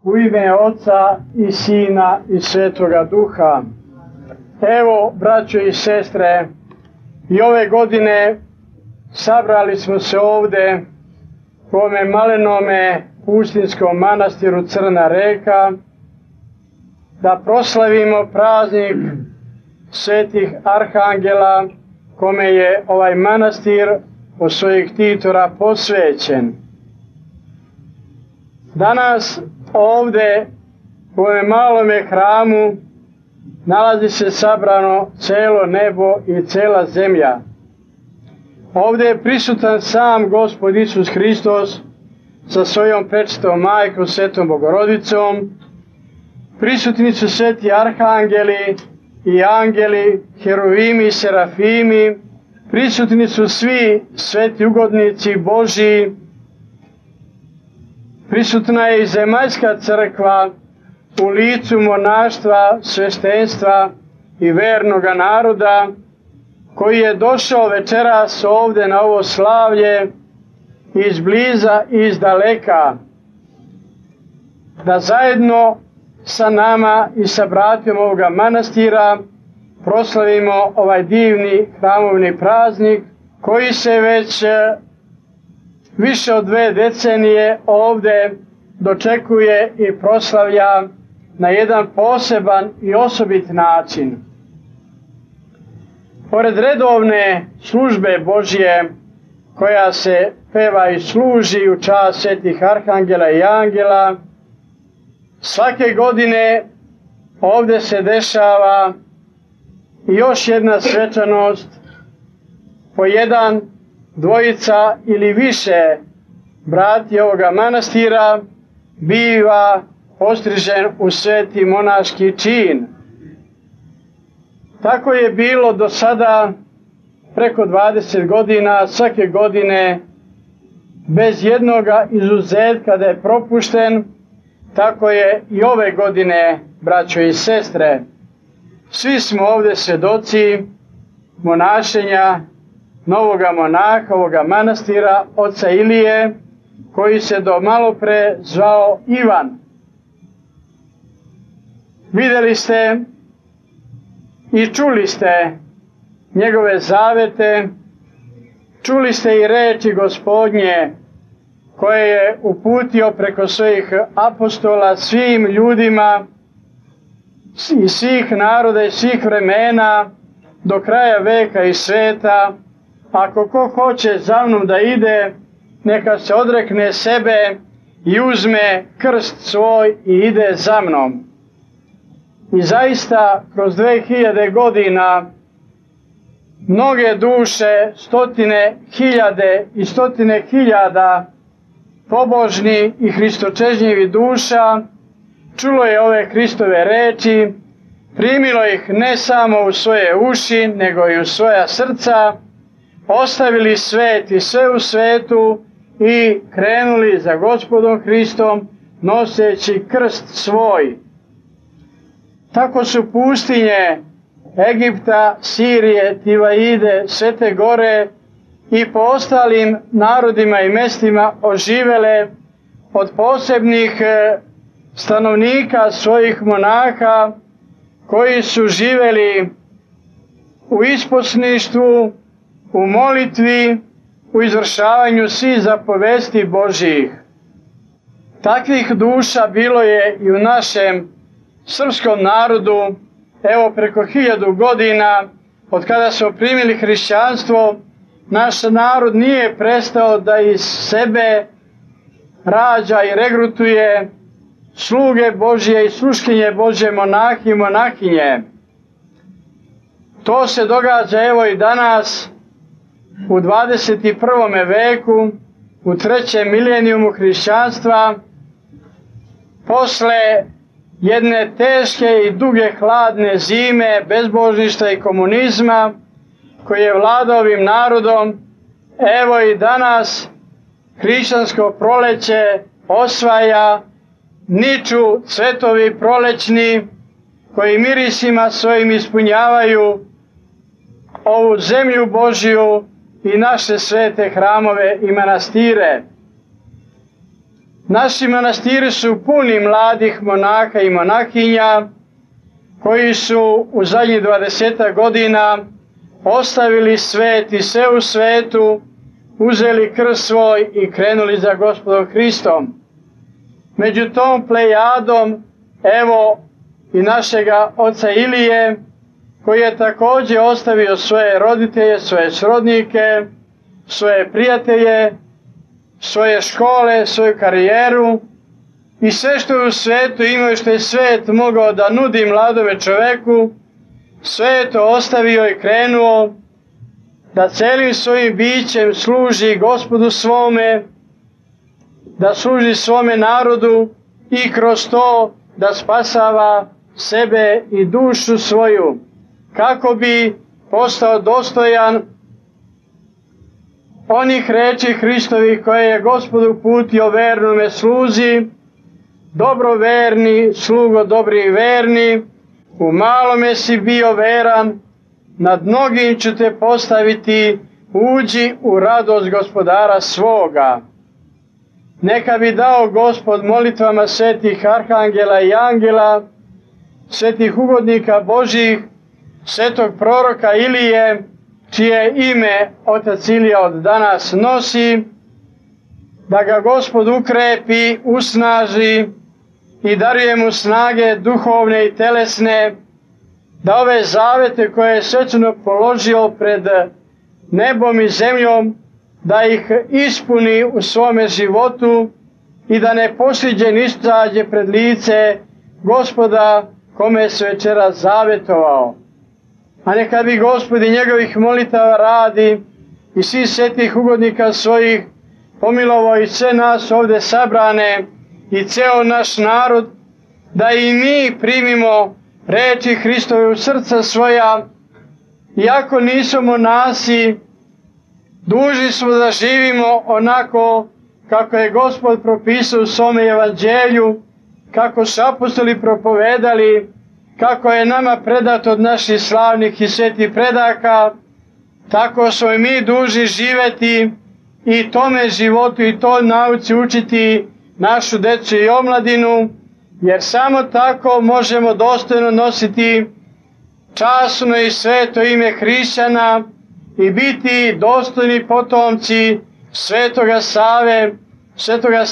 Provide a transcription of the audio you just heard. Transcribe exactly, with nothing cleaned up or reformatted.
U ime Oca i Sina i Svetoga Duha. Evo, braćo i sestre, i ove godine sabrali smo se ovde u ovome malenome pustinskom manastiru Crna Reka da proslavimo praznik svetih arhangela kome je ovaj manastir od svojih titora posvećen. Danas ovde u ovom malome hramu nalazi se sabrano celo nebo i cela zemlja. Ovde je prisutan sam Gospod Isus Hristos sa svojom prečitom majkom, Svetom Bogorodicom. Prisutni su sveti arhangeli i angeli, heruvimi i serafimi. Prisutni su svi sveti ugodnici Božji. Prisutna je i zemaljska crkva u licu monaštva, sveštenstva i vernoga naroda koji je došao večeras ovde na ovo slavlje iz bliza i iz daleka da zajedno sa nama i sa bratijom ovoga manastira proslavimo ovaj divni hramovni praznik koji se već više od dve decenije ovde dočekuje i proslavlja na jedan poseban i osobit način. Pored redovne službe Božje koja se peva i služi u čast svetih arhangela i angela, svake godine ovde se dešava još jedna svečanost, po jedan, dvojica ili više brati ovoga manastira biva postrižen u sveti monaški čin. Tako je bilo do sada preko dvadeset godina, svake godine bez jednoga izuzetka da je propušten. Tako je i ove godine, braćo i sestre. Svi smo ovde svedoci monašenja novoga monaha, ovoga manastira, oca Ilije, koji se do malo pre zvao Ivan. Videli ste i čuli ste njegove zavete, čuli ste i reči Gospodnje koje je uputio preko svojih apostola svim ljudima iz svih naroda i svih vremena do kraja veka i sveta. Ako ko hoće za mnom da ide, neka se odrekne sebe i uzme krst svoj i ide za mnom. I zaista, kroz dve hiljade godina, mnoge duše, stotine hiljade i stotine hiljada pobožni i hristočežnjivi duša, čulo je ove Hristove reči, primilo ih ne samo u svoje uši, nego i u svoja srca, ostavili svet i sve u svetu i krenuli za Gospodom Hristom, noseći krst svoj. Tako su pustinje Egipta, Sirije, Tivaide, Svete Gore i po ostalim narodima i mestima oživele od posebnih stanovnika svojih monaha koji su živeli u isposništvu, u molitvi, u izvršavanju svih zapovesti Božjih. Takvih duša bilo je i u našem srpskom narodu, evo preko hiljadu godina, od kada smo primili hrišćanstvo, naš narod nije prestao da iz sebe rađa i regrutuje sluge Božje i sluškinje Božje, monahi i monahinje. To se događa evo i danas u dvadeset i prvome veku, u trećem milenijumu hrišćanstva, posle jedne teške i duge hladne zime, bezbožništva i komunizma, koji je vladao ovim narodom, evo i danas hrišćansko proleće osvaja, niču cvetovi prolećni koji mirisima svojim ispunjavaju ovu zemlju Božju i naše svete hramove i manastire. Naši manastiri su puni mladih monaha i monahinja koji su u zadnjih dvadesetak godina ostavili svet i sve u svetu, uzeli krst svoj i krenuli za Gospodom Hristom. Među tom plejadom, evo i našega oca Ilije, koji je također ostavio svoje roditelje, svoje srodnike, svoje prijatelje, svoje škole, svoju karijeru i sve što je u svetu imao i što je svet mogao da nudi mladome čoveku, sve je to ostavio i krenuo da celim svojim bićem služi Gospodu svome, da služi svome narodu i kroz to da spasava sebe i dušu svoju, kako bi postao dostojan onih reči Hristovih koje je Gospod uputio vernome sluzi: dobro verni, slugo dobri i verni, u malome si bio veran, nad mnogim ću te postaviti, uđi u radost Gospodara svoga. Neka bi dao Gospod molitvama svetih arhangela i angela, svetih ugodnika Božih, svetog proroka Ilije, čije ime otac Ilija od danas nosi, da ga Gospod ukrepi, usnaži i daruje mu snage duhovne i telesne, da ove zavete koje je svečano položio pred nebom i zemljom, da ih ispuni u svome životu i da ne posljeđen izađe pred lice Gospoda kome se večeras zavetovao. A neka bi Gospod i njegovih molitava radi i svih svetih ugodnika svojih pomilovao i sve nas ovdje sabrane i ceo naš narod, da i mi primimo reči Hristove u srca svoja, iako nismo monasi, dužni smo da živimo onako kako je Gospod propisao u svome evanđelju, kako su apostoli propovedali, kako je nama predato od naših slavnih i svetih predaka, tako smo i mi dužni živeti i tome životu i toj nauci učiti našu decu i omladinu, jer samo tako možemo dostojno nositi časno i sveto ime hrišćana i biti dostojni potomci svetoga Save, svetoga